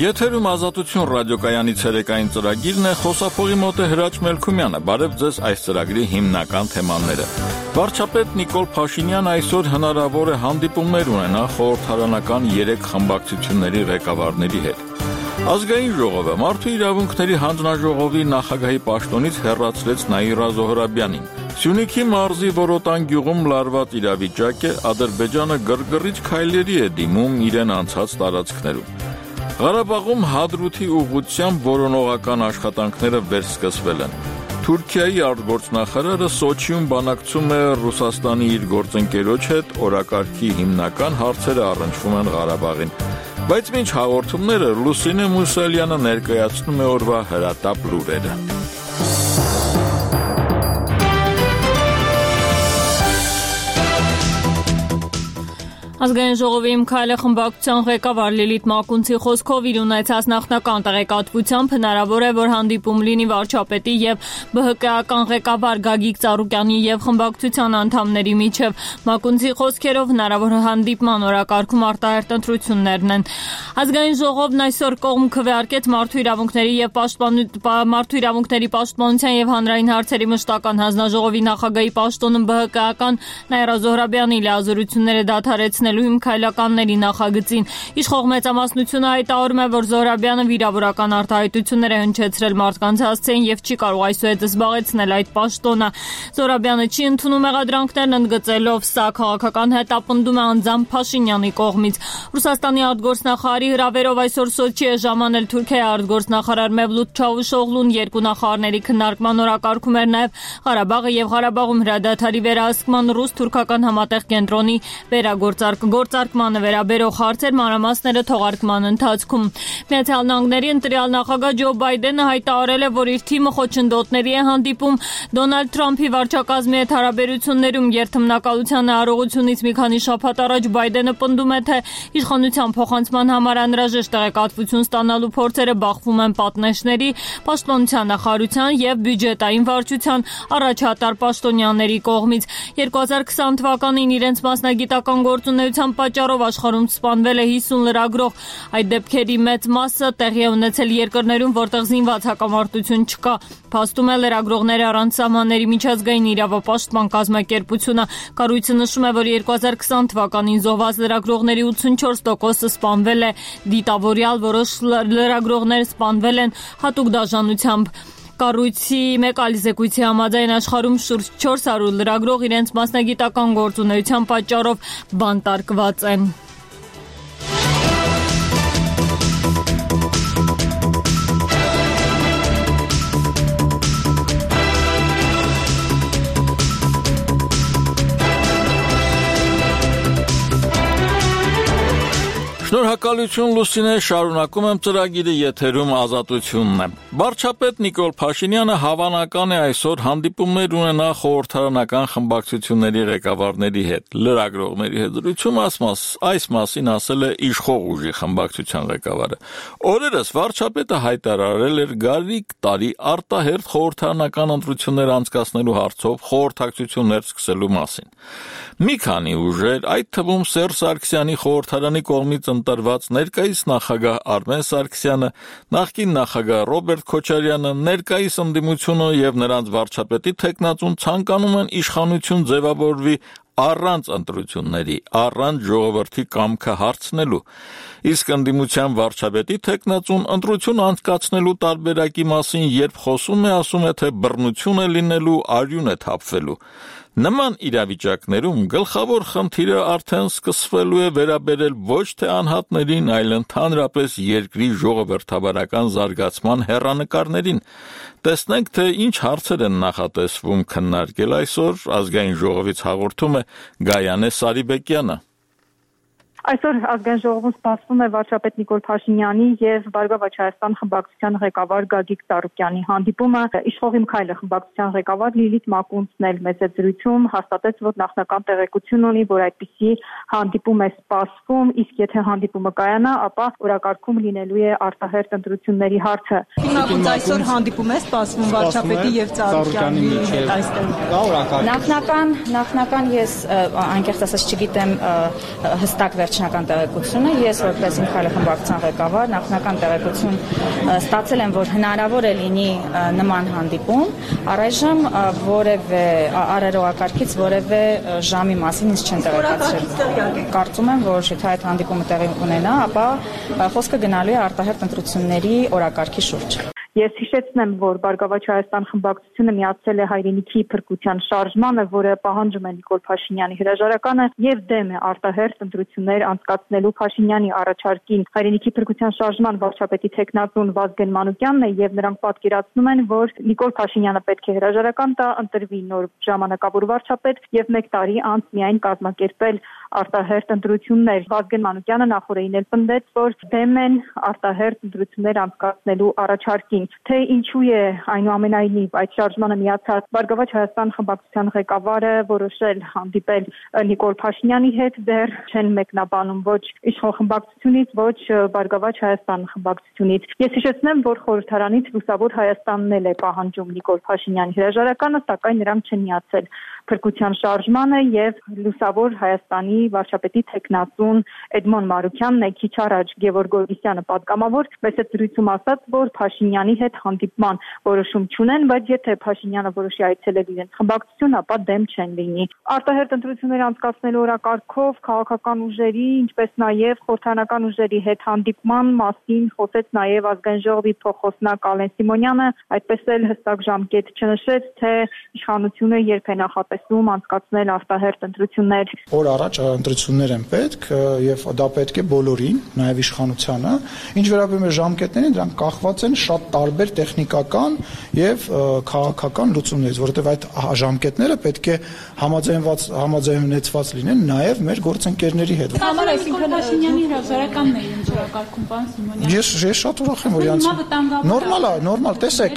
Եթերում Ազատություն ռադիոկայանի ցերեկային ծրագիրն է, խոսափողի մոտ է Հրաչ Մելքումյանը։ Բարև ձեզ այս ծրագրի հիմնական թեմաները։ Վարչապետ Նիկոլ Փաշինյանը այսօր հնարավոր է հանդիպումներ ունենա խորհրդարանական 3 խմբակցությունների ղեկավարների հետ։ Ազգային ժողովը Մարդու իրավունքների հանձնաժողովի նախագահի պաշտոնից հեռացրեց Նաիրա Զոհրաբյանին։ Սյունիքի մարզի Որոտան գյուղում լարված իրավիճակ է, Ադրբեջանը գրգռիչ քայլերի է դիմում իրեն անցած տարածքներում։ Ղարաբաղում Հադրութի ուղղությամբ որոնողական աշխատանքները վերսկսվել են։ Թուրքիայի արտգործնախարարը Սոչիում բանակցում է Ռուսաստանի իր գործընկերոջ հետ, օրակարգի հիմնական հարցերը առնչվում են Ղարաբաղին։ Բայց մինչ հաղորդումները Լուսինե Մուսալյանը ներկայացնում է օրվա հրատապ լուրերը։ Ազգային ժողովի Իմ քայլը խմբակցության ղեկավար Լիլիթ Մակունցի խոսքով իր ունեցած նախնական տեղեկատվությամբ հնարավոր է, որ հանդիպում լինի վարչապետի եւ ԲՀԿ-ական ղեկավար Գագիկ Ծառուկյանի եւ խմբակցության անդամների միջև։ Մակունցի խոսքերով հնարավոր հանդիպման օրակարգում արտահերթ ընտրություններն են։ Ազգային ժողովն այսօր կողմ քվեարկեց Մարդու իրավունքների պաշտպանության եւ հանրային հարցերի մշտական հանձնաժողովի նախագահի պաշտոնում ԲՀԿ-ական Նաիրա Զոհրաբյանի լիազորությունները դադարեցնել Իմ քայլականների նախագծին։ Իշխող մեծամասնությունը հայտարարում է, որ Զոհրաբյանը վիրավորական արտահայտություններ է հնչեցրել մարդկանց հասցեին եւ չի կարող այսուհետ զբաղեցնել այդ պաշտոնը։ Զոհրաբյանը չի ընդունում մեղադրանքներն, ընդգծելով սա քաղաքական հետապնդում է անձամբ Փաշինյանի կողմից։ Ռուսաստանի արտգործնախարարի հրավերով այսօր Սոչի է ժամանել Թուրքիայի արտգործնախարար Մևլութ Չավուշօղլուն, երկու նախարարների քննարկման օրակարգում էր նաեւ Ղարաբաղը եւ Ղարաբաղում հրադադարի վերահսկման ռուս-թուրքական համատեղ կենտրոնի գործարկմանը վերաբերող հարցեր մանրամասները թողարկման ընթացքում։ Միացյալ Նահանգների ընտրյալ նախագահ Ջո Բայդենը հայտարարել է, որ իր թիմը խոչընդոտների է հանդիպում Դոնալդ Թրամփի վարչակազմի հետ հարաբերություններում երթմնակալության արարողությունից մի քանի շաբաթ առաջ Բայդենը պնդում է, թե իշխանության փոխանցման համար անհրաժեշտ տեղեկատվություն ստանալու փորձերը բախվում են պատնեշների, պաշտպանության նախարարության եւ բյուջետային վարչության առաջատար պաշտոնյաների կողմից։ 2020 թվականին իրենց մասնագիտական գործունեության պատճառով աշխարհում սպանվել է 50 լրագրող։ Այդ դեպքերի մեծ մասը տեղի է ունեցել երկրներում, որտեղ զինված հակամարտություն չկա։ Փաստում է լրագրողները առանց սահմանների միջազգային իրավապաշտպան կազմակերպությունը։ Կառույցը նշում է, որ 2020 թվականին զոհված լրագրողների 84%-ը սպանվել է դիտավորյալ, որոշ լրագրողներ սպանվել են հատուկ դաժանությամբ։ Կառույցի մեկ այլ զեկույցի համաձայն աշխարհում շուրջ 400 լրագրող իրենց մասնագիտական գործունեության պատճառով բանտարկված են։ Շնորհակալություն Լուսինե, շարունակում եմ ծրագիրը, եթերում Ազատությունն է։ Վարչապետ Նիկոլ Փաշինյանը հավանական է այսօր հանդիպումներ ունենա խորհրդարանական խմբակցությունների ղեկավարների հետ, լրագրողների հետ զրույցում այս մասին ասել է իշխող ուժի խմբակցության ղեկավարը։ Օրերս վարչապետը հայտարարել էր գալիք տարի արտահերթ խորհրդարանական ընտրություններ անցկացնելու հարցով խորհրդակցություններ սկսելու մասին։ Մի քանի ուժեր, այդ թվում Սերժ Սարգսյանի խորհրդարանի կողմից ընտրված ներկայիս նախագահ Արմեն Սարգսյանը, նախկին նախագահ Ռոբերտ Քոչարյանը, ներկայիս ընդդիմությունը եւ նրանց վարչապետի թեկնածուն ցանկանում են իշխանություն ձևավորվի առանց ընտրությունների, առանց ժողովրդի կամքը հարցնելու։ Իսկ ընդդիմության վարչապետի թեկնածուն ընտրություն անցկացնելու տարբերակի մասին երբ խոսում է, ասում է, թե բռնություն է լինելու, արյուն է թափվելու։ Նման իրավիճակներում գլխավոր խնդիրը արդեն սկսվելու է վերաբերել ոչ թե անհատներին, այլ ընդհանրապես երկրի ժողովրդավարական զարգացման հեռանկարներին։ Տեսնենք, թե ինչ հարցեր են նախատեսվում քննարկել այսօր, Ազգային ժողովից հաղորդում է Գայանե Սարիբեկյանը։ Այսօր ազգային ժողովում սպասվում է վարչապետ Նիկոլ Փաշինյանի եւ Բարգավաճ Հայաստան խմբակցության ղեկավար Գագիկ Ծառուկյանի հանդիպումը։ Իշխող Իմ քայլը խմբակցության ղեկավար Լիլիթ Մակունցն էլ մեծ զրույցում հաստատեց, որ նախնական տեղեկություն ունի, որ այդպիսի հանդիպում է սպասվում, իսկ եթե հանդիպումը կայանա, ապա օրակարգում լինելու է արտահերթ ընտրությունների հարցը։ Մակունց այսօր հանդիպում է սպասվում վարչապետի եւ Ծառուկյանի հետ այստեղ։ Նախնական ես անկեղծ ասած չգիտեմ հստակ վերջնական տեղեկությունը, ես որպես իմ քայլը խմբակցության ղեկավար նախնական տեղեկություն ստացել եմ, որ հնարավոր է լինի նման հանդիպում, առայժմ որևէ արարողակարգից որևէ ժամի մասին ինձ չեն տեղեկացրել։ Կարծում եմ, որ եթե այդ հանդիպումը տեղի ունենա, ապա խոսքը գնալու է արտահերթ ընտրությունների օրակարգի շուրջ։ Ես հիշեցնեմ, որ Բարգավաճ Հայաստան խմբակցությունը միացել է հայրենիքի փրկության շարժմանը, որը պահանջում է Նիկոլ Փաշինյանի հրաժարականը եւ դեմ է արտահերթ ընտրություններ անցկացնելու Փաշինյանի առաջարկին։ Հայրենիքի փրկության շարժման վարչապետի տեխնատուն Վազգեն Մանուկյանն է եւ նրանք պատկերացնում են, որ Նիկոլ Փաշինյանը պետք է հրաժարական տա, ընտրվի նոր ժամանակավոր վարչապետ եւ 1 տարի անց միայն կազմակերպել արտահերթ ընտրություններ։ Վազգեն Մանուկյանը նախորդին էլ պնդեց, որ դեմ են արտահերթ ընտրություններ անցկացնելու առաջարկին։ Թե ինչու է այնուամենայնիվ այդ շարժմանը միացած Բարգավաճ Հայաստան խմբակցության ղեկավարը որոշել հանդիպել Նիկոլ Փաշինյանի հետ, դեռ չեն մեկնաբանում ոչ իշխող խմբակցությունից, ոչ Բարգավաճ Հայաստան խմբակցությունից։ Ես հիշեցնեմ, որ խորհրդարանից Լուսավոր Հայաստանն էլ է պահանջում Նիկոլ Փաշինյանի հրաժարականը, սակայն նրանք չեն միացել փրկության շարժմանը եւ Լուսավոր Հայաստանի վարչապետի տեխնատուն Էդմոն Մարուկյանն է քիչ առաջ Գևորգ Գորգիսյանը պատգամավոր մեծ դրույթում ասաց, որ Փաշինյանի հետ հանդիպման որոշում չունեն, բայց եթե Փաշինյանը որոշի այցելել իրենց խմբակցություն, ապա դեմ չեն լինի։ Արտահերթ ընտրություններ անցկացնելու օրակարգով քաղաքական ուժերի, ինչպես նաեւ խորհրդարանական ուժերի հետ հանդիպման մասին խոսեց նաեւ ազգային ժողովի փոխոսնակ Ալեն Սիմոնյանը, այդպես էլ հստակ ժամկետ չնշեց, թե իշխանությունը երբ է նախատեսում անցկացնել արտահերթ ընտրություններ։ Օր առաջ ընտրություններ են պետք եւ դա պետք է բոլորին, նաեւ իշխանությանը։ Ինչ վերաբերում է ժամկետներին, դրանք կախված են շատ տարբեր տեխնիկական եւ քաղաքական լուծումներից, որովհետեւ այդ ժամկետները պետք է համաձայնեցված լինեն նաեւ մեր գործընկերների հետ։ Համար այսինքն Փաշինյանի հրաժարականն է ինչ օրակարգում, պարոն Սիմոնյան։ Ես շատ ուրախ եմ, որ իրանց նորմալ, տեսեք,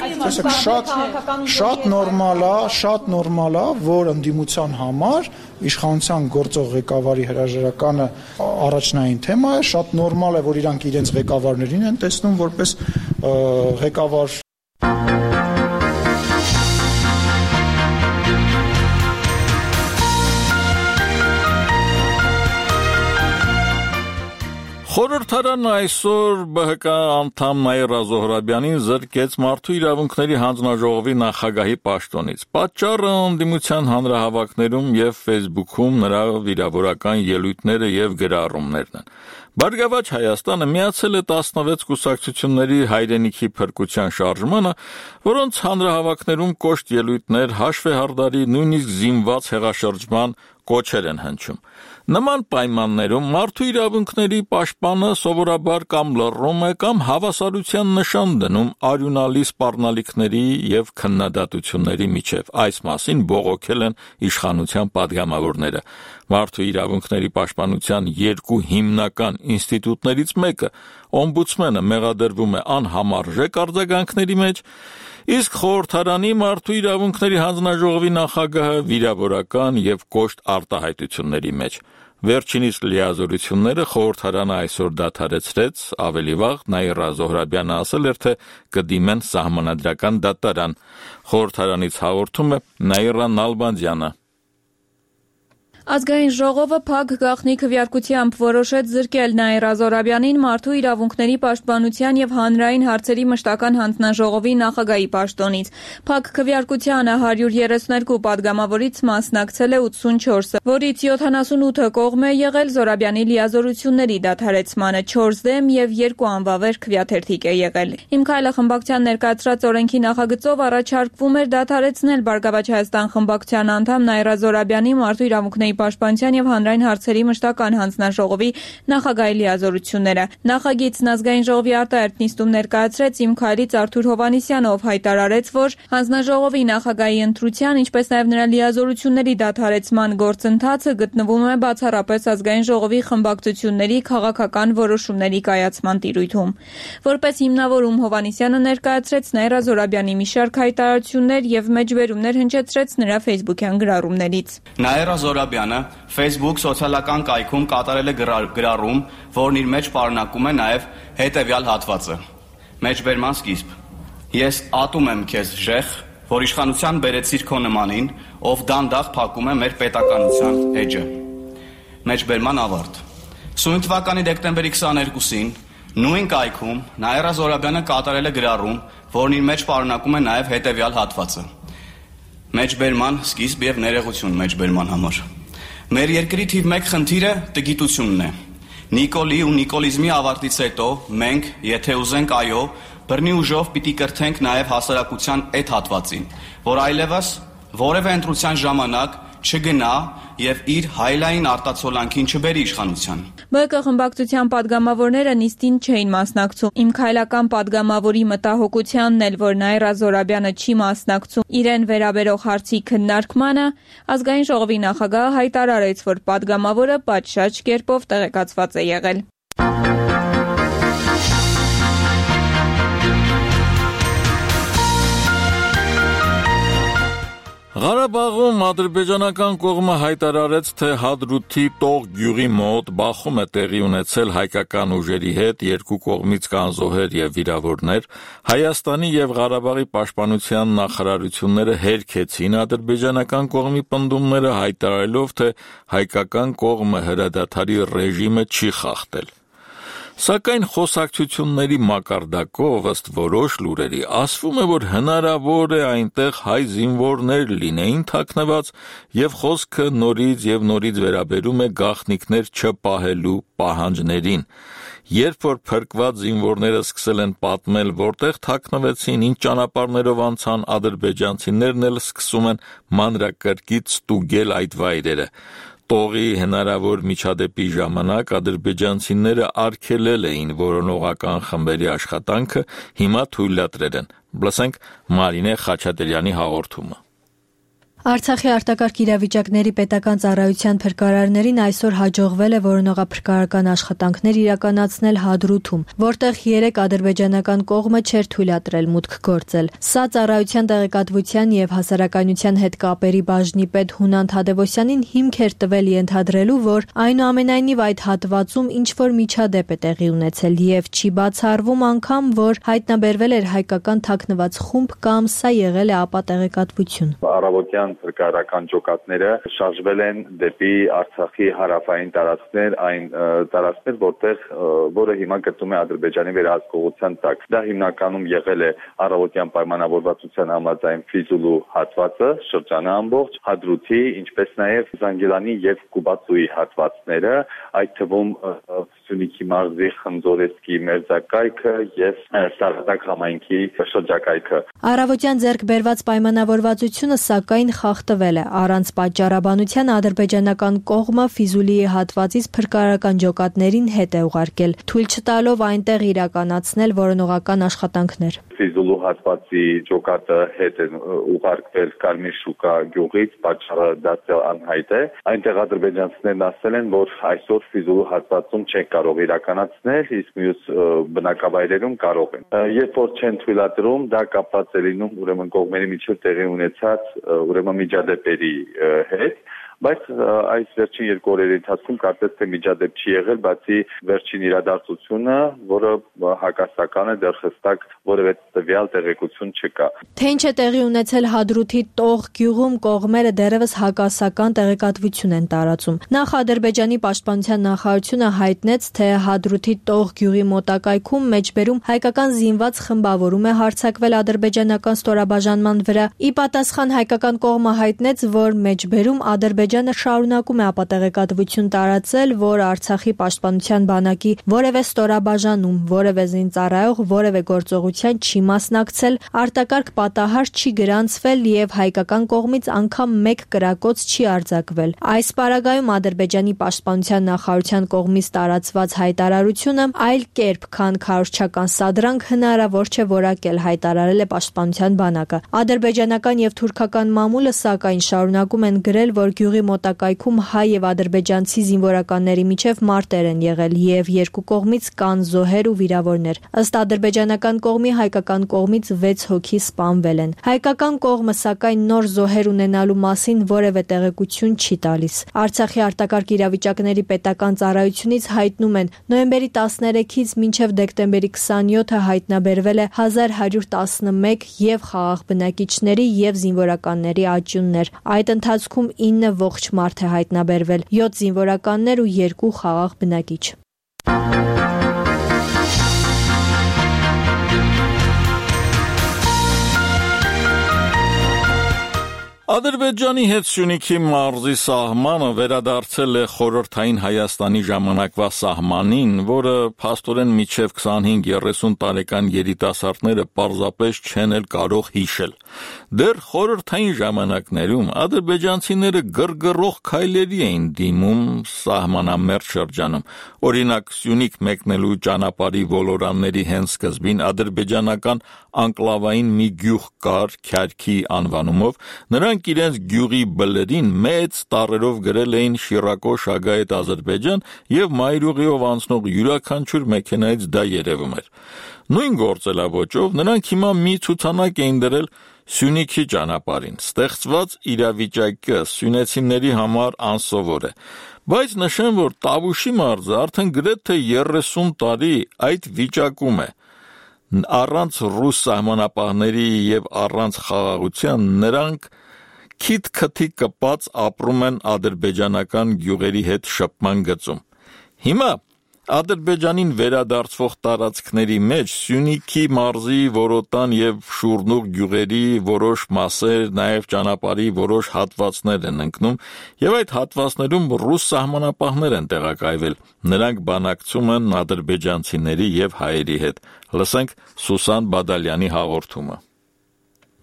շատ նորմալ է, որ ընդդիմության համար իշխանության գործող ղեկավարի հրաժարականը առաջնային թեմա է, շատ նորմալ է, որ իրանք իրենց ղեկավարներին են տեսնում որպես ղեկավար։ Խորհրդարանը այսօր ԲՀԿ անդամ Նաիրա Զոհրաբյանին զրկեց Մարդու իրավունքների հանձնաժողովի նախագահի պաշտոնից։ Պատճառը ընդդիմության հանրահավաքներում եւ Facebook-ում նրա վիրավորական ելույթները եւ գրառումներն են։ Բարգավաճ Հայաստանը միացել է 16 կուսակցությունների հայրենիքի փրկության շարժմանը, որոնց հանրահավաքներում կոշտ ելույթներ, հաշվեհարդարի, նույնիսկ զինված հեղաշրջման կոչեր են հնչում։ Նման պայմաններում մարդու իրավունքների պաշտպանը սովորաբար կամ լռում է կամ հավասարության նշան դնում արյունալի սպառնալիքների եւ քննադատությունների միջև։ Այս մասին բողոքել են իշխանության պատգամավորները։ Մարդու իրավունքների պաշտպանության 2 հիմնական ինստիտուտներից մեկը, օմբուդսմենը, մեղադրվում է անհամարժեք արձագանքների մեջ, իսկ խորհրդարանի Մարդու իրավունքների հանձնաժողովի նախագահը վիրավորական եւ կոշտ արտահայտությունների մեջ։ Վերջինիս լիազորությունները խորհրդարանը այսօր դադարեցրեց, ավելի վաղ Նաիրա Զոհրաբյանը ասել էր, թե կդիմեն սահմանադրական դատարան։ Խորհրդարանից հաղորդում է Նաիրա Նալբանդյանը։ Ազգային ժողովը փակ գաղտնի քվեարկությամբ որոշեց զրկել Նաիրա Զոհրաբյանին Մարդու իրավունքների պաշտպանության եւ հանրային հարցերի մշտական հանձնաժողովի նախագահի պաշտոնից։ Փակ քվեարկությանը 132 падգամավորից մասնակցել է 84-ը, որից 78-ը կողմ է եղել Զոհրաբյանի լիազորությունների դադարեցմանը, 4 դեմ եւ 2 անվավեր քվեաթերթիկ է եղել։ Իմ քայլը խմբակցության ներկայացրած օրենքի նախագծով առաջարկվում էր դադարեցնել Բարգավաճ Հայաստան խմբակցության անդամ Նաիրա Զոհրաբյանի Մարդու իրավունքների պաշտպանության եւ հանրային հարցերի մշտական հանձնաժողովի նախագահի լիազորությունները։ Նախագիծն ազգային ժողովի արտահերթ նիստում ներկայացրեց Իմ քայլից Արթուր Հովհաննիսյանը, ով հայտարարեց, որ հանձնաժողովի նախագահի ընտրության, ինչպես նաեւ նրա լիազորությունների դադարեցման գործընթացը գտնվում է բացառապես ազգային ժողովի խմբակցությունների քաղաքական որոշումների կայացման տիրույթում։ Որպես հիմնավորում Հովհաննիսյանը ներկայացրեց Նաիրա Զոհրաբյանի մի շարք հայտարարություններ եւ մեջբերումներ հնչեցրեց նրա Facebook-յան գրառումներից։ Նաիրա Զոհրաբյանը Facebook սոցիալական կայքում կատարել է գրառում, որն իր մեջ պարունակում է նաև հետևյալ հատվածը. Մեջբերման սկիզբ. Ես ատում եմ քեզ ժեխ, որ իշխանության բերեցիր քո նմանին, ով դանդաղ փակում է մեր պետականության էջը։ Մեջբերման ավարտ. Սույն թվականի դեկտեմբերի 22-ին նույն կայքում Նաիրա Զոհրաբյանը կատարել է գրառում, որն իր մեջ պարունակում է նաև հետևյալ հատվածը. մեջբերման սկիզբ եւ ներողություն մեջբերման համար։ Մեր երկրի թիվ 1 խնդիրը տգիտությունն է։ Նիկոլի ու նիկոլիզմի ավարտից հետո մենք, եթե ուզենք այո, բռնի ուժով պիտի կրթենք նաև հասարակության այդ հատվածին, որ այլևս որևէ ընտրության ժամանակ չգնա եւ իր հայլային արտացոլանքին չբերի իշխանության։ ԲԿ խմբակցության падգամավորները նիստին չէին մասնակցում։ Իմ քայլական падգամավորի մտահոգությանն էլ, որ Նաիրա Զոհրաբյանը չի մասնակցում իրեն վերաբերող հարցի քննարկմանը, ազգային ժողովի նախագահը հայտարարեց, որ падգամավորը պատշաճ կերպով տեղեկացված է եղել։ Ղարաբաղում ադրբեջանական կողմը հայտարարեց, թե Հադրութի Տող գյուղի մոտ բախում է տեղի ունեցել հայկական ուժերի հետ, երկու կողմից կան զոհեր եւ վիրավորներ, Հայաստանի եւ Ղարաբաղի պաշտպանության նախարարությունները հերքեցին ադրբեջանական կողմի պնդումները, հայտարարելով, թե հայկական կողմը հրադադարի ռեժիմը չի խախտել։ Սակայն խոսակցությունների մակարդակով ըստ որոշ լուրերի ասվում է, որ հնարավոր է այնտեղ հայ զինվորներ լինեին թաքնված եւ խոսքը նորից վերաբերում է գաղտնիքներ չպահելու պահանջներին։ Երբ որ փրկված զինվորները սկսել են պատմել, որտեղ թաքնվեցին, ինչ ճանապարհներով անցան, ադրբեջանցիներն էլ սկսում են մանրակրկիտ ստուգել այդ վայրերը։ Տողի հնարավոր միջադեպի ժամանակ ադրբեջանցիները արգելել էին որոնողական խմբերի աշխատանքը, հիմա թույլատրել են։ Լսենք Մարինե Խաչատրյանի հաղորդումը։ Արցախի արտակարգ իրավիճակների պետական ծառայության փրկարարներին այսօր հաջողվել է որոնողափրկարարական աշխատանքներ իրականացնել Հադրութում, որտեղ 3 ադրբեջանական կողմը չէր թույլատրել մուտք գործել։ Սա ծառայության տեղեկատվության եւ հասարակայնության հետ կապերի բաժնի պետ Հունան Թադևոսյանին հիմք էր տվել ենթադրելու, որ այնուամենայնիվ այդ հատվածում ինչ-որ միջադեպ է տեղի ունեցել եւ չի բացառվում անգամ, որ հայտնաբերվել էր հայկական թաքնված խումբ կամ սա եղել է ապա տեղեկատվություն։ Առավոտյան փրկարարական ջոկատները շարժվել են դեպի Արցախի հարավային տարածքներ, այն տարածքներ, որը հիմա գտնվում է Ադրբեջանի վերահսկողության տակ։ Դա հիմնականում եղել է առավոտյան պայմանավորվածության համաձայն Ֆիզուլու հատվածը, շրջանը ամբողջ, Հադրութի, ինչպես նաև Զանգիլանի եւ Կուբացուի հատվածները, այդ թվում Սյունիքի մարզի Խնձորեսկի մերձակայքը եւ Սարատակ համայնքի շրջակայքը։ Առավոտյան ձեռք բերված պայմանավորվածությունը սակայն խախտվել է։ Առանց պատճառաբանության ադրբեջանական կողմը Ֆիզուլիի հատվածից փրկարարական ջոկատներին հետ է ուղարկել, թույլ չտալով այնտեղ իրականացնել որոնողական աշխատանքներ։ Ֆիզուլու հատվածի ջոկատը հետ է ուղարկվել Կարմիր շուկա գյուղից, պատճառը դարձյալ անհայտ է։ Այնտեղ ադրբեջանցիներն ասել են, որ այսօր Ֆիզուլու հատվածում չեն կարող իրականացնել, իսկ մյուս բնակավայրերում կարող են։ Երբ որ չեն թույլատրում, դա կապված է լինում ուրեմն կողմերի միջև տեղի ունեցած միջադեպերի հետ, բայց այս վերջին 2 օրերի ընթացքում կարծես թե միջադեպ չի եղել, բացի վերջին իրադարձությունը, որը հակասական է, դեռ հստակ որևէ տվյալ տեղեկություն չկա։ Թե ինչ է տեղի ունեցել Հադրութի Տող գյուղում, կողմերը դեռևս հակասական տեղեկատվություն են տարածում։ Նախ Ադրբեջանի պաշտպանության նախարարությունը հայտնեց, թե Հադրութի Տող գյուղի մոտակայքում մեջբերում հայկական զինված խմբավորում է հարձակվել ադրբեջանական ստորաբաժանման վրա։ Ի պատասխան հայկական կողմը հայտնեց, որ մեջբերում Ադրբեջանը շարունակում է ապատեղեկատվություն տարածել, որ Արցախի պաշտպանության բանակի որևէ ստորաբաժանում, որևէ զինծառայող, որևէ գործողության չի մասնակցել, արտակարգ պատահար չի գրանցվել եւ հայկական կողմից անգամ մեկ կրակոց չի արձակվել։ Այս պարագայում Ադրբեջանի պաշտպանության նախարարության կողմից տարածված հայտարարությունը այլ կերպ, քան քարոզչական սադրանք հնարավոր չէ որակել, հայտարարել է պաշտպանության բանակը։ Ադրբեջանական եւ թուրքական մամուլը սակայն շարունակում են գրել, որ գյուղի մոտակայքում հայ եւ ադրբեջանցի զինվորականների միջև մարտեր են եղել եւ երկու կողմից կան զոհեր ու վիրավորներ։ Ըստ ադրբեջանական կողմի, հայկական կողմից 6 հոգի սպանվել են։ Հայկական կողմը սակայն նոր զոհեր ունենալու մասին որևէ տեղեկություն չի տալիս։ Արցախի արտակարգ իրավիճակների պետական ծառայությունից հայտնում են, նոյեմբերի 13-ից մինչև դեկտեմբերի 27-ը հայտնաբերվել է 1111 եւ խաղաղ բնակիչների եւ զինվորականների աճյուններ։ Այդ ընթացքում 9 ողջ մարդ է հայտնաբերվել, 7 զինվորականներ ու 2 խաղաղ բնակիչ։ Ադրբեջանի հետ Սյունիքի մարզի սահմանը վերադարձել է խորհրդային Հայաստանի ժամանակվա սահմանին, որը փաստորեն մինչև 25-30 տարեկան երիտասարդները պարզապես չեն էլ կարող հիշել։ Դեռ խորհրդային ժամանակներում ադրբեջանցիները գրգռող քայլերի էին դիմում սահմանամերձ շրջանում։ Օրինակ Սյունիք մեկնելու ճանապարհի ոլորանների հենց սկզբին ադրբեջանական անկլավային մի գյուղ կար Քյարքի անվանումով, նրանք իրենց գյուղի բլրին մեծ տառերով գրել էին Շիրակո Շագայեթ Ադրբեջան եւ մայրուղիով անցնող յուրաքանչյուր մեքենայից դա երևում էր։ Նույն գործելավոճով նրանք հիմա մի ցուցանակ էին դրել Սյունիքի ճանապարհին։ Ստեղծված իրավիճակը սյունեցիների համար անսովոր է, բայց նշեմ, որ Տավուշի մարզը արդեն գրեթե 30 տարի այդ վիճակում է։ Առանց ռուս սահմանապահների եւ առանց խաղաղության նրանք քիթ-քթի կպած ապրում են ադրբեջանական գյուղերի հետ շփման գծում։ Հիմա Ադրբեջանին վերադարձվող տարածքների մեջ Սյունիքի մարզի Որոտան եւ Շուրնուղ գյուղերի որոշ մասեր, նաեւ ճանապարհի որոշ հատվածներ են ընկնում եւ այդ հատվածներում ռուս սահմանապահներ են տեղակայվել։ Նրանք բանակցում են ադրբեջանցիների եւ հայերի հետ։ Լսենք Սուսան Բադալյանի հաղորդումը։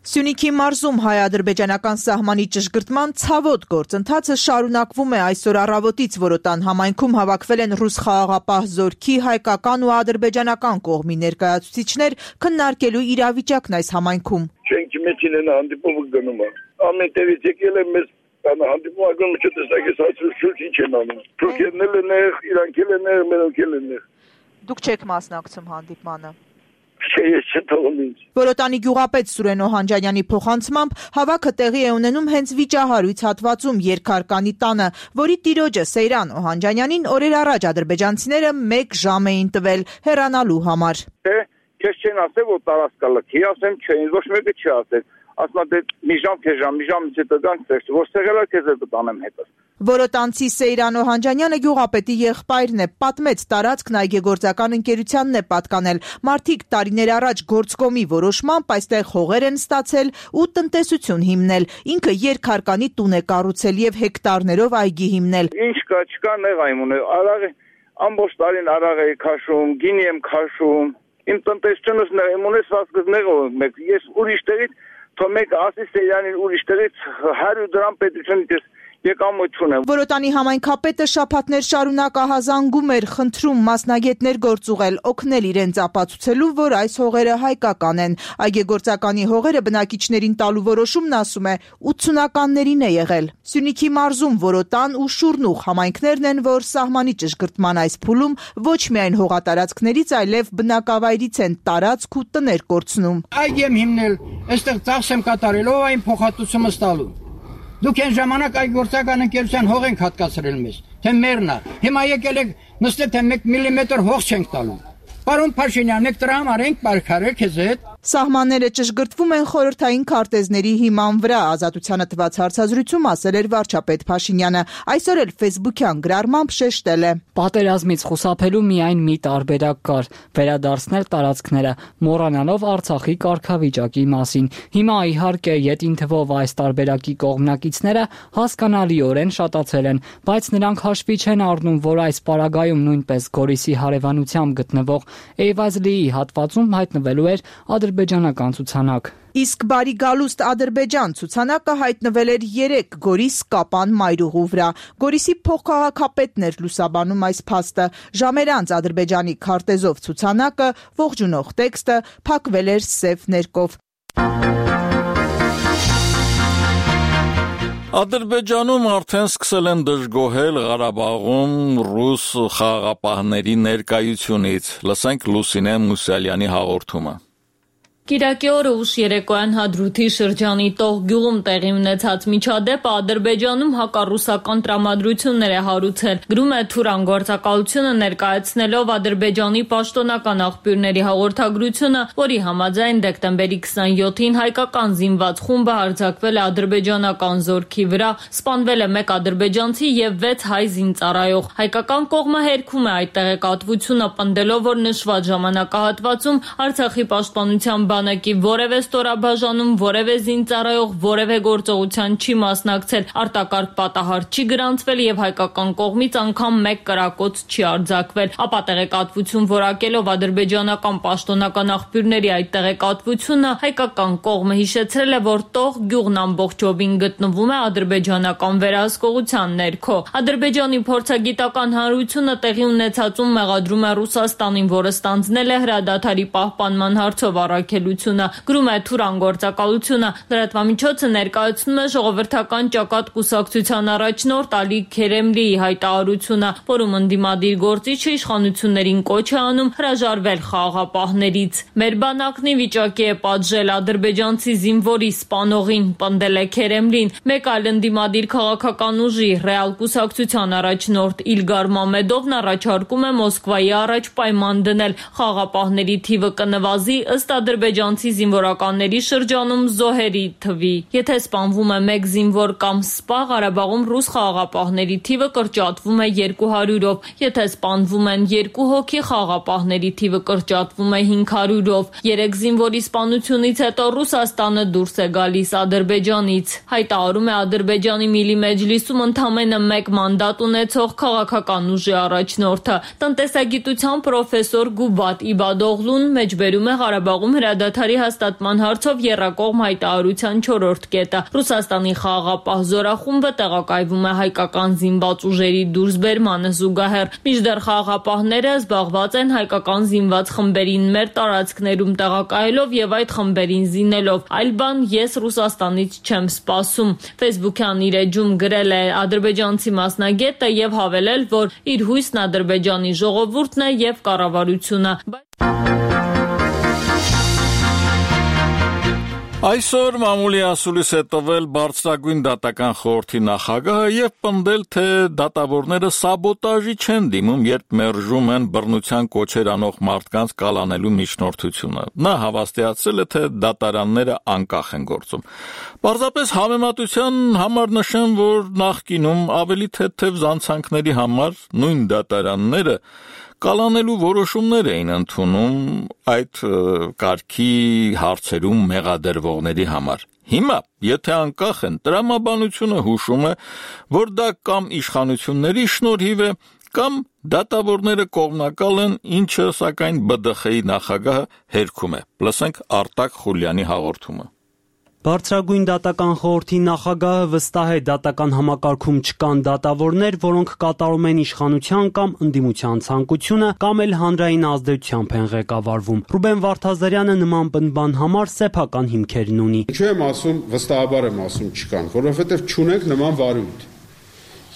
Սյունիքի մարզում հայ-ադրբեջանական սահմանի ճշգրտման ցավոտ գործընթացը շարունակվում է այսօր առավոտից Որոտան համայնքում հավաքվել են ռուս խաղաղապահ զորքի հայկական ու ադրբեջանական կողմի ներկայացուցիչներ քննարկելու իրավիճակն այս համայնքում։ Չենք մեջին հանդիպումը գնում է։ Ամենտեղից եկել է մեզ հանդիպումը գնում չտեսակես հացրուշ ինչ են անում։ Թուրքերն են, իրանքել են, մերոնքել են։ Դուք չեք մասնակցում հանդիպմանը։ Որոտանի գյուղապետ Սուրեն Օհանջանյանի փոխանցմամբ հավաքը տեղի է ունենում հենց վիճահարույց հատվածում Երկհարկանի տանը, որի տիրոջը Սեյրան Օհանջանյանին օրեր առաջ ադրբեջանցիները 1 ժամ էին տվել հեռանալու համար։ Քեզ չեն ասել, որ տարածքա լքի, ասեմ չէ, ոչ մեկը չի ասել։ Ասма դե մի ժամ հետո գանք որ սեղելա քեզ տանեմ հետո։ Որոտանցի Սեյրան Օհանջանյանը գյուղապետի եղբայրն է, պատմեց տարածքն այգեգործական ընկերությանն է պատկանել։ Մարդիկ տարիներ առաջ գործկոմի որոշմամբ այստեղ հողեր են ստացել ու տնտեսություն հիմնել։ Ինքը Երկհարկանի տուն է կառուցել եւ հեկտարներով այգի հիմնել։ Ինչ կա, չկա նեղ այմուն է, արաղ ամբողջ տարին արաղ է քաշում, գինի եմ քաշում։ Իմ տնտեսությունս ունեցվածքս նեղով մեկ, ես ուրիշ տեղից թող մեկ ասի Սեյրանին ուրիշ տեղից 100 դրամ պետությունից եկամուտ ունեմ։ Որոտանի համայնքապետը շաբաթներ շարունակ ահազանգում էր, խնդրում մասնագետներ գործուղել, օգնել իրենց ապացուցելու, որ այս հողերը հայկական են։ Այգեգործականի հողերը բնակիչներին տալու որոշումն ասում է 80-ականներին է եղել։ Սյունիքի մարզում Որոտան ու Շուրնուղ համայնքներն են, որ սահմանի ճշգրտման այս փուլում ոչ միայն հողատարածքներից, այլև բնակավայրից են տարածք ու տներ կորցնում։ Այգի եմ հիմնել, այստեղ ծախս եմ կատարելով այն փոխհատուցումը ստալու։ Դուք այն ժամանակ այգեգործական ընկերության հող ենք հատկացրել մեզ, թե մերն է։ Հիմա եկել եք նստել, թե 1 միլիմետր հող չենք տալու։ Պարոն Փաշինյան, եք դրա համար ենք պայքարել քեզ հետ։ Սահմանները ճշգրտվում են խորհրդային քարտեզների հիման վրա, Ազատությանը տված հարցազրույցում ասել էր վարչապետ Փաշինյանը, այսօր էլ ֆեյսբուքյան գրառմամբ շեշտել է. Պատերազմից խուսափելու միայն մի տարբերակ կար՝ վերադարձնել տարածքները, մոռանալով Արցախի կարգավիճակի մասին։ Հիմա իհարկե յետին թվով այս տարբերակի կողմնակիցները հասկանալիորեն շատացել են, բայց նրանք հաշվի չեն առնում, որ այս պարագայում նույնպես Գորիսի հարևանությամբ գտնվող Էյվազլիի հատվածում հայտնվելու էր ադրբեջանական ցուցանակ։ Իսկ բարի գալուստ Ադրբեջան ցուցանակը հայտնվել էր 3 Գորիս Կապան մայրուղու վրա։ Գորիսի փոխքաղաքապետն էր լուսաբանում այս փաստը։ Ժամեր անց Ադրբեջանի քարտեզով ցուցանակը, ողջունող տեքստը փակվել էր սև ներկով։ Ադրբեջանում արդեն սկսել են դժգոհել Ղարաբաղում ռուս խաղաղապահների ներկայությունից։ Լսենք Լուսինե Մուսալյանի հաղորդումը։ Կիրակի օրը ուշ երեկոյան Հադրութի շրջանի Տող գյուղում տեղի ունեցած միջադեպը Ադրբեջանում հակառուսական տրամադրություններ է հարուցել։ Գրում է Թուրան գործակալությունը ներկայացնելով Ադրբեջանի պաշտոնական աղբյուրների հաղորդագրությունը, որի համաձայն դեկտեմբերի 27-ին հայկական զինված խումբը հարձակվել է ադրբեջանական զորքի վրա, սպանվել է 1 ադրբեջանցի եւ 6 հայ զինծառայող։ Հայկական կողմը հերքում է այդ տեղեկատվությունը, պնդելով, որ նշված ժամանակահատվածում Արցախի պաշտպանության բանակի որևէ ստորաբաժանում, որևէ զինծառայող, որևէ գործողության չի մասնակցել, արտակարգ պատահար չի գրանցվել եւ հայկական կողմից անգամ 1 կրակոց չի արձակվել։ Ապա տեղեկատվություն որակելով ադրբեջանական պաշտոնական աղբյուրների այդ տեղեկատվությունը, հայկական կողմը հիշեցրել է, որ Տող գյուղն ամբողջովին գտնվում է ադրբեջանական վերահսկողության ներքո։ Ադրբեջանի փորձագիտական հանրությունը տեղի ունեցածում մեղադրում է Ռուսաստանին, որը ստանձնել է հրադադարի պահպանման հարցով առաքելությունը։ Գրում է Թուրան գործակալությունը, լրատվամիջոցը ներկայացնում է ժողովրդական ճակատ կուսակցության առաջնորդ Ալի Քերեմլիի հայտարարությունը, որում ընդդիմադիր գործիչը իշխանություններին կոչ է անում հրաժարվել խաղաղապահներից։ Մեր բանակն ի վիճակի է պատժել ադրբեջանցի զինվորի սպանողին, պնդել է Քերեմլին։ Մեկ այլ ընդդիմադիր քաղաքական ուժի ռեալ կուսակցության առաջնորդ Իլգար Մամեդովն առաջարկում է Մոսկվայի առաջ պայման դնել խաղաղապահների թիվը կնվազի ըստ ադրբեջանցի զինվորականների շրջանում զոհերի թվի։ Եթե սպանվում է 1 զինվոր կամ սպա, Ղարաբաղում ռուս խաղաղապահների թիվը կրճատվում է 200-ով, եթե սպանվում են 2 հոգի, խաղաղապահների թիվը կրճատվում է 500-ով։ 3 զինվորի սպանությունից հետո Ռուսաստանը դուրս է գալիս Ադրբեջանից։ Հայտարարում է Ադրբեջանի Միլի Մեջլիսում ընդամենը 1 մանդատ ունեցող քաղաքական ուժի առաջնորդը։ Տնտեսագիտության պրոֆեսոր Գուբատ Իբադօղլուն մեջբերում է Ղարաբաղում հրադադարի հաստատման հարցով եռակողմ հայտարարության 4-րդ կետը։ Ռուսաստանի խաղաղապահ զորախումբը տեղակայվում է հայկական զինված ուժերի դուրսբերմանը զուգահեռ։ Մինչդեռ խաղաղապահները զբաղված են հայկական զինված խմբերին մեր տարածքներում տեղակայելով եւ այդ խմբերին զինելով։ Այլ բան ես Ռուսաստանից չեմ սպասում։ Facebook-յան իր էջում գրել է ադրբեջանցի մասնագետը եւ հավելել, որ իր հույսն Ադրբեջանի ժողովուրդն է եւ կառավարությունը։ Այսօր մամուլի ասուլիս է տվել բարձրագույն դատական խորհրդի նախագահը եւ պնդել, թե դատավորները սաբոտաժի չեն դիմում, երբ մերժում են բռնության կոչեր անող մարդկանց կալանելու միջնորդությունը։ Նա հավաստիացրել է, թե դատարանները անկախ են գործում։ Պարզապես համեմատության համար նշեմ, որ նախկինում ավելի թեթև զանցանքների համար նույն դատարանները կալանելու որոշումներ էին ընդունում այդ կարգի հարցերում մեղադրվողների համար։ Հիմա, եթե անկախ են, տրամաբանությունը հուշում է, որ դա կամ իշխանությունների շնորհիվ է, կամ դատավորները կողմնակալ են, ինչը սակայն ԲԴԽ-ի նախագահը հերքում է։ Լսենք Արտակ Խուլյանի հաղորդումը։ Բարձրագույն դատական խորհրդի նախագահը վստահ է դատական համակարգում չկան դատավորներ, որոնք կատարում են իշխանության կամ ընդդիմության ցանկությունը կամ էլ հանրային ազդեցությամբ են ղեկավարվում։ Ռուբեն Վարդազարյանը նման բնբան համար սեփական հիմքերն ունի։ Ինչու եմ ասում, վստահաբար եմ ասում չկան, որովհետև չունենք նման վարույթ։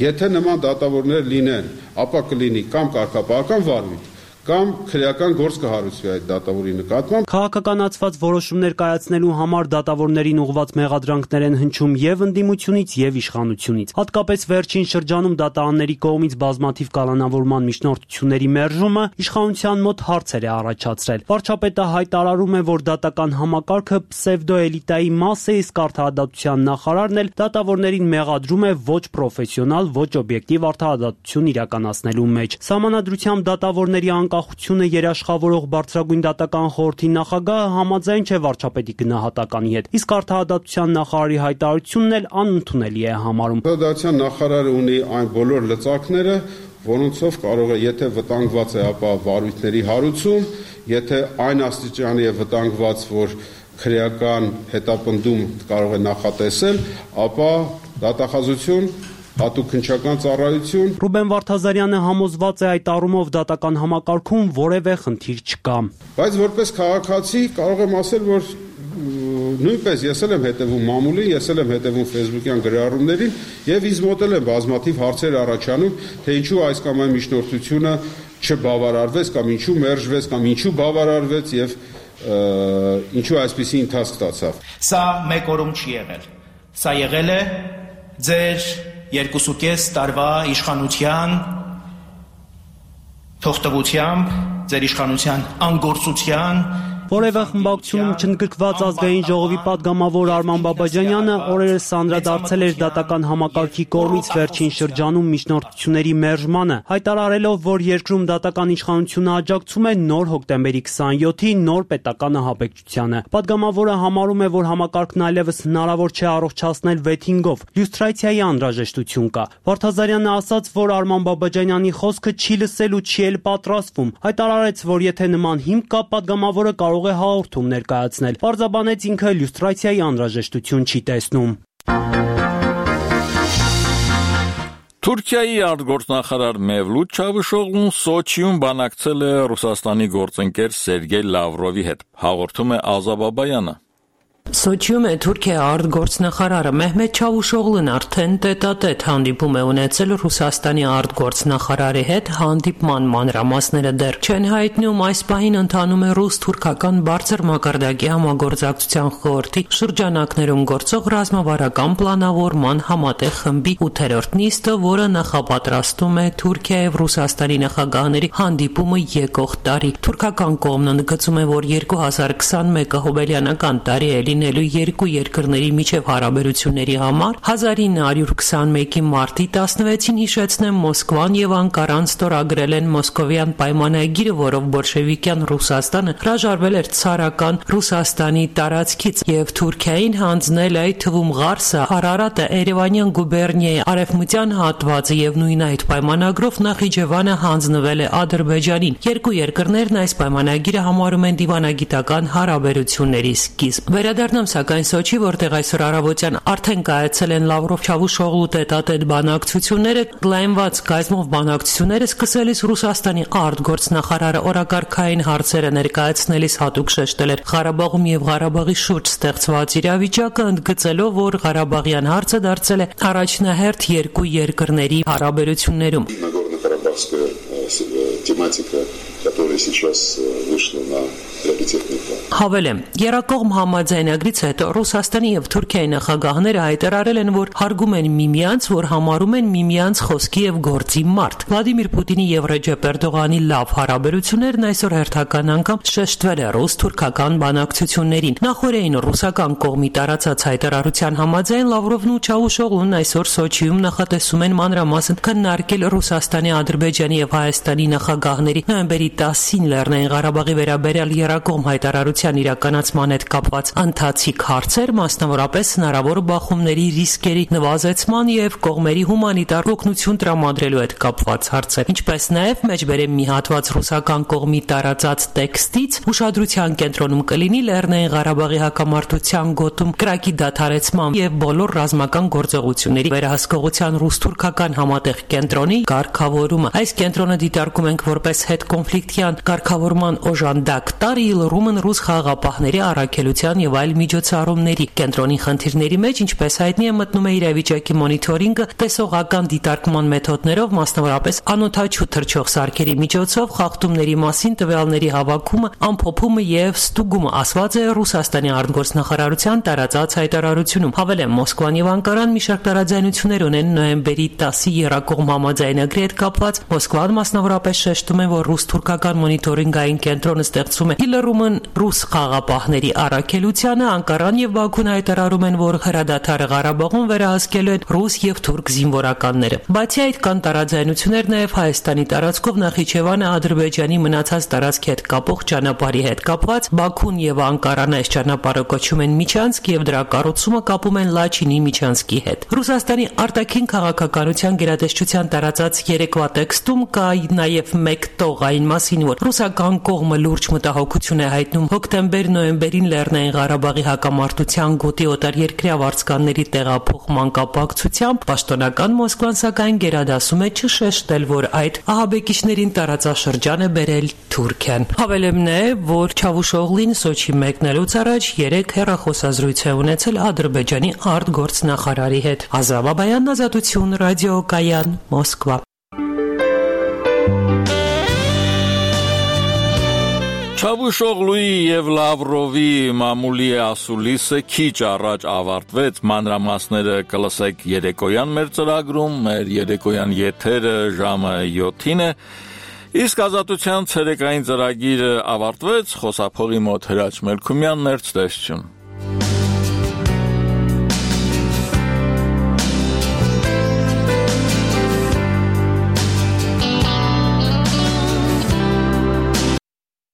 Եթե նման դատավորներ լինեն, ապա կլինի կամ կարգապահական վարույթ, կամ քրեական գործ կհարուցվի այդ դատավորի նկատմամբ։ Քաղաքականացված որոշումներ կայացնելու համար դատավորներին ուղղված մեղադրանքներ են հնչում եւ ընդդիմությունից եւ իշխանությունից։ Հատկապես վերջին շրջանում դատարանների կողմից բազմաթիվ կալանավորման միջնորդությունների մերժումը իշխանության մոտ հարցեր է առաջացրել։ Վարչապետը հայտարարում է, որ դատական համակարգը պսևդոէլիտայի մաս է, իսկ արդարադատության նախարարն էլ դատավորներին մեղադրում է ոչ պրոֆեսիոնալ, ոչ օբյեկտիվ արդարադատություն իրականացնելու մեջ։ Սահմանադրությամբ դատավորների անկախությունը երաշխավորող բարձրագույն դատական խորհրդի նախագահը համաձայն չէ վարչապետի գնահատականի հետ, իսկ արդարադատության նախարարի հայտարարությունն էլ անընդունելի է համարում։ Արդարադատության նախարարը ունի այն բոլոր լծակները, որոնցով կարող է, եթե վտանգված է, ապա վարույթների հարուցում, եթե այն աստիճանի է վտանգված, որ քրեական հետապնդում կարող է նախատեսել, ապա դատախազություն, հատուկ քննչական ծառայություն։ Ռուբեն Վարդազարյանը համոզված է այդ առումով դատական համակարգում որևէ խնդիր չկա։ Բայց որպես քաղաքացի կարող եմ ասել, որ նույնպես ես եմ հետևում մամուլին, ես եմ հետևում Facebook-յան գրառումներին եւ ինձ մոտ էլ են բազմաթիվ հարցեր առաջանում, թե ինչու այս կամ այն միջնորդությունը չբավարարվեց կամ ինչու մերժվեց կամ ինչու բավարարվեց եւ ինչու այսպիսի ընթացք ստացավ։ Սա մեկ օրում չի եղել։ Սա եղել է ձեր 2.5 տարվա իշխանության թողտվությամբ, ձեր իշխանության անգործության Որևէ խմբակցությունում չընդգրկված ազգային ժողովի պատգամավոր Արման Բաբաջանյանը օրերս անդրադարձել էր դատական համակարգի կողմից վերջին շրջանում միջնորդությունների մերժմանը, հայտարարելով, որ երկրում դատական իշխանությունը աջակցում է նոր հոկտեմբերի 27-ի նոր պետական ահաբեկչությանը։ Պատգամավորը համարում է, որ համակարգն այլևս հնարավոր չէ առողջացնել վեթինգով, լյուստրացիայի անհրաժեշտություն կա։ Վարդազարյանը ասաց, որ Արման Բաբաջանյանի խոսքը չի լսել ու չի էլ պատրաստվում։ Հայտարարեց, որ եթե նման հիմք կա, պատգամավորը կարող է հաղորդում ներկայացնել։ Պարզաբանեց ինքը լյուստրացիայի անհրաժեշտություն չի տեսնում։ Թուրքիայի արտգործնախարար Մևլութ Չավուշօղլուն Սոչիում բանակցել է Ռուսաստանի գործընկեր Սերգեյ Լավրովի հետ։ Հաղորդում է Ազա Բաբայանը։ Սոչիում է Թուրքիա արտգործնախարարը Մեհմեդ Չավուշօղլուն արդեն տետատետ հանդիպում է ունեցել Ռուսաստանի արտգործնախարարի հետ, հանդիպման մանրամասները դեռ չեն հայտնում, այս պահին ընթանում է ռուս-թուրքական բարձր մակարդակի համագործակցության խորհրդի շրջանակներում գործող ռազմավարական պլանավորման համատեղ խմբի 8-րդ նիստը, որը նախապատրաստում է Թուրքիայի եւ Ռուսաստանի նախագահների հանդիպումը եկող տարի։ Թուրքական կողմն ընդգծում է, որ 2021-ը հոբելյանական տարի է լինելու երկու երկրների միջև հարաբերությունների համար 1921-ի մարտի 16-ին հիշեցնեմ Մոսկվան եւ Անկարան ստորագրել են Մոսկովյան պայմանագիրը, որով բոլշևիկյան Ռուսաստանը հրաժարվել էր ցարական Ռուսաստանի տարածքից եւ Թուրքիային հանձնել այդ թվում Ղարսը, Արարատը, Երևանյան գուբերնիայի արևմտյան հատվածը եւ նույն այդ պայմանագրով Նախիջևանը հանձնվել է Ադրբեջանին։ Երկու երկրներն այս պայմանագիրը համարում են դիվանագիտական հարաբերությունների սկիզբ։ Վերադառնամ սակայն Սոչի, որտեղ այսօր առավոտյան արդեն կայացել են Լավրով-Չավուշօղլու տետատետ բանակցությունները, լայնված կազմով բանակցությունները սկսելիս Ռուսաստանի արտգործնախարարը օրակարգային հարցերը ներկայացնելիս հատուկ շեշտել էր Ղարաբաղում եւ Ղարաբաղի շուրջ ստեղծված իրավիճակը, ընդգծելով, որ Ղարաբաղյան հարցը դարձել է առաջնահերթ երկու երկրների հարաբերություններում։ Которая сейчас вышла на приоритетный план. Հավելեմ, Երակողմ համաձայնագրից հետո Ռուսաստանի եւ Թուրքիայի նախագահները հայտարարել են, որ հարգում են միմյանց, որ համարում են միմյանց խոսքի եւ գործի մարդ։ Վլադիմիր Պուտինի եւ Ռեջեփ Էրդողանի լավ հարաբերություններն այսօր հերթական անգամ շեշտվել է ռուս-թուրքական բանակցություններին։ Նախորդին ռուսական կողմի տարածած հայտարարության համաձայն Լավրովն ու Չավուշօղլուն այսօր Սոչիում նախատեսում են մանրամասն քննարկել Ռուսաստանի, Ադրբեջանի եւ Հայաստանի նախագահների նոյեմբերի 10-ին Լեռնային Ղարաբաղի վերաբերյալ Երակողմ հայտարարության իրականացման հետ կապված ընթացիկ հարցեր, մասնավորապես հնարավոր բախումների ռիսկերի նվազեցման եւ կողմերի հումանիտար օգնություն տրամադրելու հետ կապված հարցեր, ինչպես նաեւ մեջբերեմ մի հատված ռուսական կողմի տարածած տեքստից ուշադրության կենտրոնում կլինի Լեռնային Ղարաբաղի հակամարտության գոտում կրակի դադարեցման եւ բոլոր ռազմական գործողությունների վերահսկողության ռուս-թուրքական համատեղ կենտրոնի կարգավորումը։ Այս կենտրոնը դիտարկում ենք որպես հետ կոնֆլիկտյան կարգավորման օժանդակ տարի լռումն ռուս խաղաղապահների առաքելության եւ այլ միջոցառումների կենտրոնի խնդիրների մեջ, ինչպես հայտնի է, մտնում է իրավիճակի մոնիթորինգը, տեսողական դիտարկման մեթոդներով, մասնավորապես անօթաչու թռչող սարքերի միջոցով խախտումների մասին տվյալների հավաքումը, ամփոփումը եւ ստուգումը, ասված է Ռուսաստանի արտգործնախարարության տարածած հայտարարությունում։ Հավելեմ, Մոսկվան եւ Անկարան մի շարք տարաձայնություններ ունեն նոյեմբերի 10-ի Երակողմ համաձայնագրի հետ կապված։ Մոսկվան մասնավորապես շեշտում է, որ ռուս-թուրքական մոնիթորինգային կենտրոնը ստեղծում է իլռումն ռուս խաղաղապահների առաքելությանը, Անկարան եւ Բաքուն հայտարարում են, որ հրադադարը Ղարաբաղում վերահսկելու են ռուս եւ թուրք զինվորականները։ Բացի այդ կան տարաձայնություններ նաեւ Հայաստանի տարածքով Նախիջևանը Ադրբեջանի մնացած տարածքի հետ կապող ճանապարհի հետ կապված։ Բաքուն եւ Անկարան այս ճանապարհը կոչում են Միչանսկ եւ դրա կառուցումը կապում են Լաչինի Միչանսկի հետ։ Ռուսաստանի արտաքին քաղաքականության գերատեսչության տարածած երեկվա տեքստում կա նաեւ մեկ տող այն մասին, որ ռուսական կողմը լուրջ մտահոգություն է հայտնում հոկտեմբեր-նոյեմբերին Լեռնային Ղարաբաղի հակամարտության գոտի օտարերկրյա վարձկանների տեղափոխման կապակցությամբ, պաշտոնական Մոսկվան սակայն գերադասում է չշեշտել, որ այդ ահաբեկիչներին տարածաշրջան է բերել Թուրքիան։ Հավելեմ նաև, որ Չավուշօղլին Սոչի մեկնելուց առաջ 3 հեռախոսազրույց է ունեցել Ադրբեջանի արտգործնախարարի հետ։ Ազա Բաբայան, Ազատություն, ռադիոկայան, Մոսկվա։ Չավուշօղլուի եւ Լավրովի մամուլի ասուլիսը քիչ առաջ ավարտվեց, մանրամասները կլսեք երեկոյան մեր ծրագրում, մեր երեկոյան եթերը ժամը 7-ին է, իսկ ազատության ցերեկային ծրագիրը ավարտվեց, խոսափողի մոտ Հրաչ Մելքումյանն էր, ցտեսություն։